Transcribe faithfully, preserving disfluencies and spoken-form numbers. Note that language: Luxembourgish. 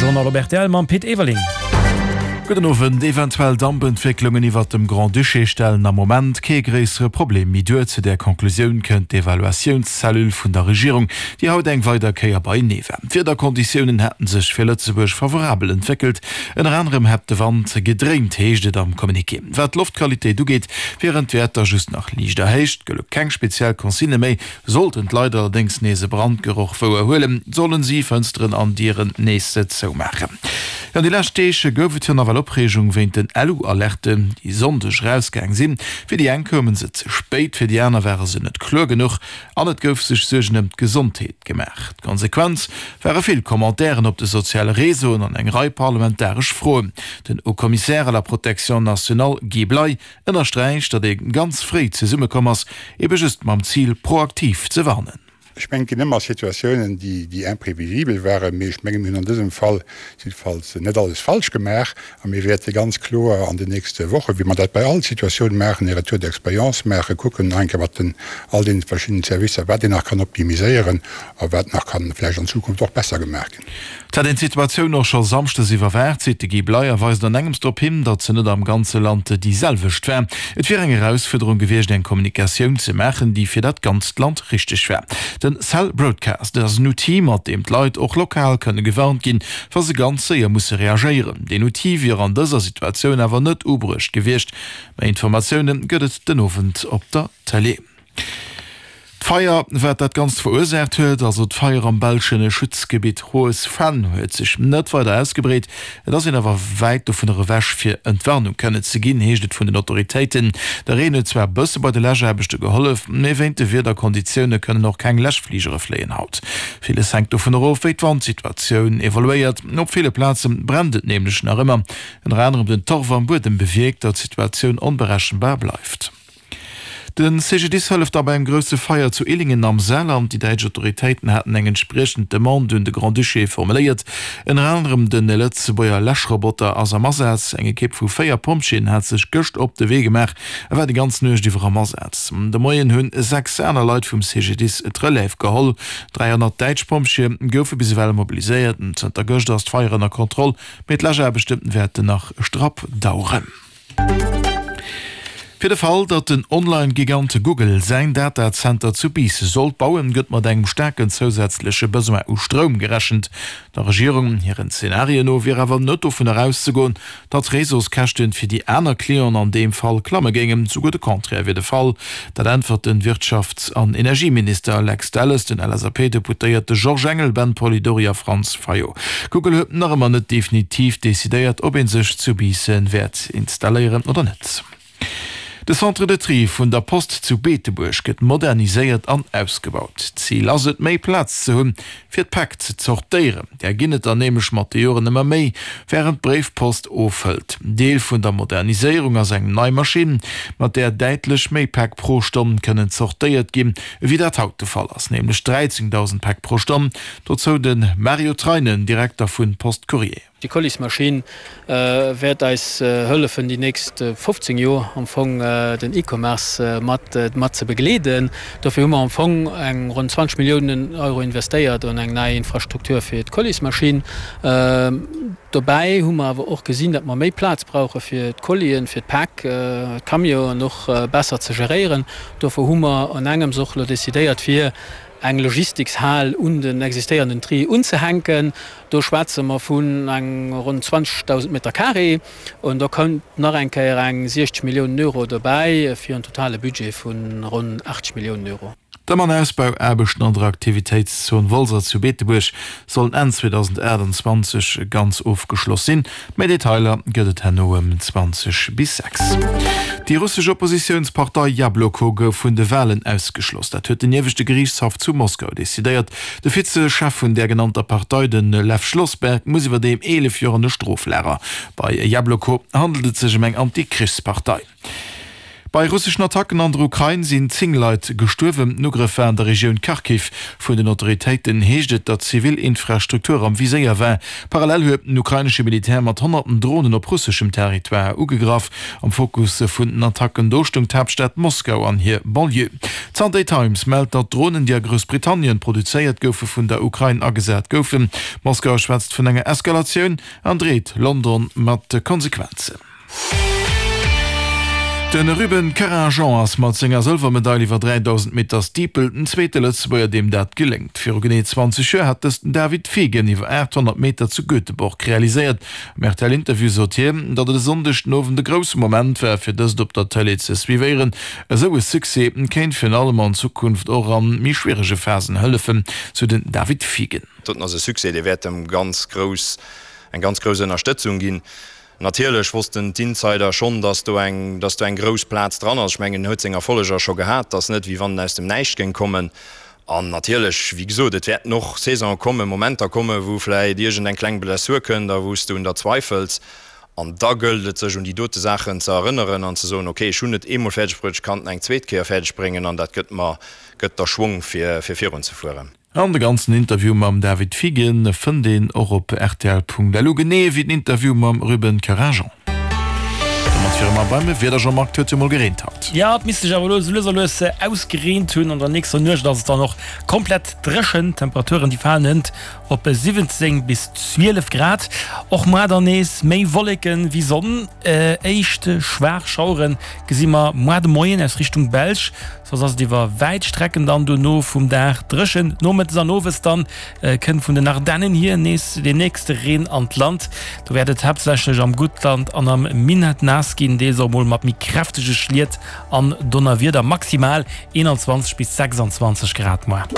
Journal op rtl mam Pit Everling. Gudden Owend. Eventuell Dampentwécklungen iwwert dem Grand-Duché stellen am Moment kee gréissere Problem méi duer. Zu där Conclusioun kënnt d'Evaluatiounscellule vun der Regierung, déi haut eng weider Kéier beienee war. D'Wiederkonditiounen hätten sech fir Lëtzebuerg favorabel entwéckelt. Ënner anerem hätt de Wand gedréint, heescht et am Communiqué. Wat d'Loftqualitéit ugeet, wieren d'Wäerter just nach liicht erhéicht, gëlle keng speziell Consignë méi. Sollten d'Leit allerdéngs nees e Brandgeroch wouerhuelen, sollen si Fënsteren an Dieren nees zoumaachen. Jo, déi lescht Deeg gouf et jo nawell Opreegung wéint den Elu-Alerten, déi Sonndeg erausgaang sinn. Fir déi eng koume se ze spéit, fir déi aner ware se net kloer genuch an et gouf sech Suergen ëm d'Gesondheet gemaach. D'Konsequenz ware vill Commentairen op de soziale Réseauen an eng Rei parlamentaresch Froen. Den Haut-Commissaire à la protection nationale Guy Bley ënnersträicht, datt ee ganz fréi zesummekomm ass, ebe just mam Zil, proaktiv ze warnen. Ech mengen, et ginn ëmmer Situatiounen, déi imprévisibel waren, mee ech mengen, mir hunn an dësem Fall jiddefalls net alles falsch gemaach a mir wäerte ganz kloer an den nächste Wochen, wéi mer dat bei all Situatioun maachen, e Retour d'expérience maachen, kucken nach eng Kéier mat den all deene verschiddenen Servicer, wat een nach kann optimiséieren a wat nach kann vläicht an Zukunft och besser gemaach ginn. Et hätt een d'Situatioun och scho samschdes iwwerwaacht, seet de Guy Bley a weist an engems drop hin, datt se net am ganze Land déi selwecht war. Et wier eng Erausfuerderung gewiescht, eng Kommunikatioun ze maachen, déi fir dat ganzt Land richteg war. Den Cell Broadcast ass en Outil, mat deem d'Leit och lokal kënne gewarnt ginn, wa se ganz séier musse reagéieren. Deen Outil wier an dëser Situatioun awer net ubruecht gewiescht. Méi Informatioune gëtt et den Owend op der Tëlee. D'Feier, wat dat Ganzt verursaacht huet, also d'Feier am belsche Schutzgebitt Hohes Venn, huet sech net weider ausgebreet. Et ass een awer wäit dovunner ewech, fir Entwarnung kënnen ze ginn, heescht et vun den Autoritéiten. De Reen huet zwar e bësse bei de Läschaarbechte gehollef, mee wéint de Wiederkonditioune kënnen och keng Läschfligere fléien haut. Villes hänkt dovunner of, wéi d'Wandsituatioun evoluéiert. Op ville Plaze brennt et nämlech nach ëmmer. Ënner anerem den Torf am Buedem bewierkt, datt d'Situatioun onberechenbar bleift. De C G D I S hëlleft da bei engem grousse Feier zu Illingen am Saarland. Déi däitsch Autoritéiten haten eng entspriechend Demande un de Grand-Duché formuléiert. Ënner anerem de Lëtzebuerger Läschroboter ass am Asaz. Eng Ekipp vu véier Pompjeeën hat sech gëscht op de Wee gemaach a war déi ganz Nuecht iwwer am Asaz. De Moien hunn sechs aner Leit vum C G D I S d'Relève geholl. dräihonnert däitsch Pompjeeë goufe bis ewell mobiliséiert. Zënter gëschter ass d'Feier ënner Kontroll, mee d'Läschaarbechte wäerten nach strapp daueren. Fir de Fall, datt den Online-Gigant Google säin Datazenter zu Biissen sollt bauen, gëtt mat engem staarken zousätzleche Besoin u Stroum gerechent. Der Regierung hiren Zenarien no wier awer net dovunner auszegoen, datt d'Réseauskäschten fir déi aner Clienten an deem Fall klamme géingen. Souguer de Contraire wier de Fall. Dat äntwert de Wirtschafts an Energieminister Lex Delles den L S A P-Deputéierte Georges Engel, Ben Polidori a Franz Fayot. Google huet nach ëmmer net definitiv decidéiert, ob ee sech zu Biissen wäert installéieren oder net. De Centre de Tri vun der Post zu Beetebuerg gëtt moderniséiert an ausgebaut. Zil ass et, méi Plaz ze hunn, fir d'Päck ze zortéieren. Där ginn et der nämlech mat de Joren ëmmer méi, wärend d'Bréifpost ofhëlt. Deel vun der Moderniséierung ass eng nei Maschinn, mat där däitlech méi Päck pro Stonn kënnen zortéiert ginn, ewéi dat haut de Fall ass, nämlech dräizéngdausend Päck pro Stonn. Dozou de Mario Treinen, Direkter vun Post Courrier. Déi Colismaschinn wäert eis hëllefen, déi nächst fofzéng Joer am Fong den E-Commerce mat mat ze begleeden. Dofir hu mer am Fong eng ronn zwanzeg Milliounen Euro investéiert an eng nei Infrastruktur fir d'Colismaschinn. Dobäi hu mer awer och gesinn, datt mer méi Plaz brauche fir d'Colien, fir d'Päck, d'Camionen och besser ze geréieren. Dofir hu mer an engems och elo decidéiert, fir eng Logistikshal un den existéierenden Tri unzehänken. Do schwätze mer vun eng ronn zwanzegdausend Meter carré an do kënnt nach eng Kéier eng siechzeg Milliounen Euro dobäi fir en totale Budget vu ronn achtzeg Milliounen Euro. D'Ëm an Ausbauaarbechten an der Aktivitéitszon Wolser zu Beetebuerg sollen Enn zweedausendaachtenzwanzeg ganz ofgeschloss sinn. Méi Detailer gëtt et herno ëm zwanzeg bis sechs. Déi russesch Oppositiounspartei Jabloko gouf vun de Walen ausgeschloss. Dat huet den ieweschte Geriichtshaff zu Moskau decidéiert. De Vize-Chef vun där genannter Partei, de Lew Schlossberg, muss iwwerdeem eelef Joer an e Stroflager. Bei Jabloko handelt et sech ëm eng Anti-Krichspartei. Bei russeschen Attacken an der Ukrain sinn zéng Leit gestuerwen. Den Ugrëff war an der Regioun Kharkiv. Vun den Autoritéiten heescht et, datt zivil Infrastruktur am Viséier war. Parallel huet den ukrainesche Militär mat honnerten Dronen op russeschem Territoire ugegraff. Am Fokus vun den Attacken do stoung d'Haaptstad Moskau an hir Banlieue. D'Sunday Times mellt, datt Dronen, déi a Groussbritannien produzéiert goufe, vun der Ukrain agesat goufen. Moskau schwätzt vun enger Eskalatioun an dreet London mat Konsequenzen. De Ruben Carrin-Jean ass mat senger Sëlwermedail iwwer dräidausend Meter Steeple den zweete Lëtzebuerger, deem dat geléngt. Viru genee zwanzeg Joer hat dëst den David Fiegen iwwer aathonnert Meter zu Göteborg realiséiert. Am R T L-Interview sot hien, datt et e Sonndeg den Owend e grousse Moment war, fir dëst op der Tëlee ze suivéieren. Esou e Succès kéint virun allem an Zukunft och a méi schwierege Phasen hëllefen, sou den David Fiegen. Doten ass e Succès, dee wäert em ganz grouss, eng ganz grouss Ënnerstëtzung ginn. Natierlech wossten d'Insider schonn, dass do eng, dass do eng grouss Plaz dran ass. Ech mengen, en huet seng Erfolleger scho gehat, et ass net, wéi wann en aus dem Näischt géing kommen. An natierlech, wéi gesot, et wäerten och Saisonen kommen, Momenter kommen, wou vläicht iergend eng kleng Blessur kënnt a wou s du un der zweifels. An da gëllt et, sech un déi dote Saachen ze erënneren an ze soen, okay, ech hunn et eemol fäerdeg bruet, ech kann et eng zweet Kéier fäerdeg bréngen an dat gëtt mer, gëtt der Schwong, fir, fir virunzefueren. An de ganzen Interview mam David Fiegen fënnt een och op rtl.lu, genee wéi den Interview mam Ruben Carrin-Jean. Domat wiere mer beim Wieder, Jean-Marc, et huet jo mol gereent haut. Jo, et misst sech awer elo sou lues a lues ausgereent hunn. An der nächster Nuecht ass et dann och komplett dréchen. D'Temperaturen déi falen hënt op siwwenzéng bis zwielef Grad. Och muar dann nees méi Wolleken wéi Sonn. Éischt schwaach Schauere gesi mer muar de Moien aus Richtung Belsch. Soss ass et iwwer wäit Strecken dann dono vum Dag dréchen. Nomëttes an owes dann kënnt vun den Ardennen hier nees deen nächste Reen an d'Land. Do wäert et haaptsächlech am Guttland an am Minett naass ginn, deels och mol mat méi kräftege Schliet an Donnerwieder. Maximal eenanzwanzeg bis sechsanzwanzeg Grad muer.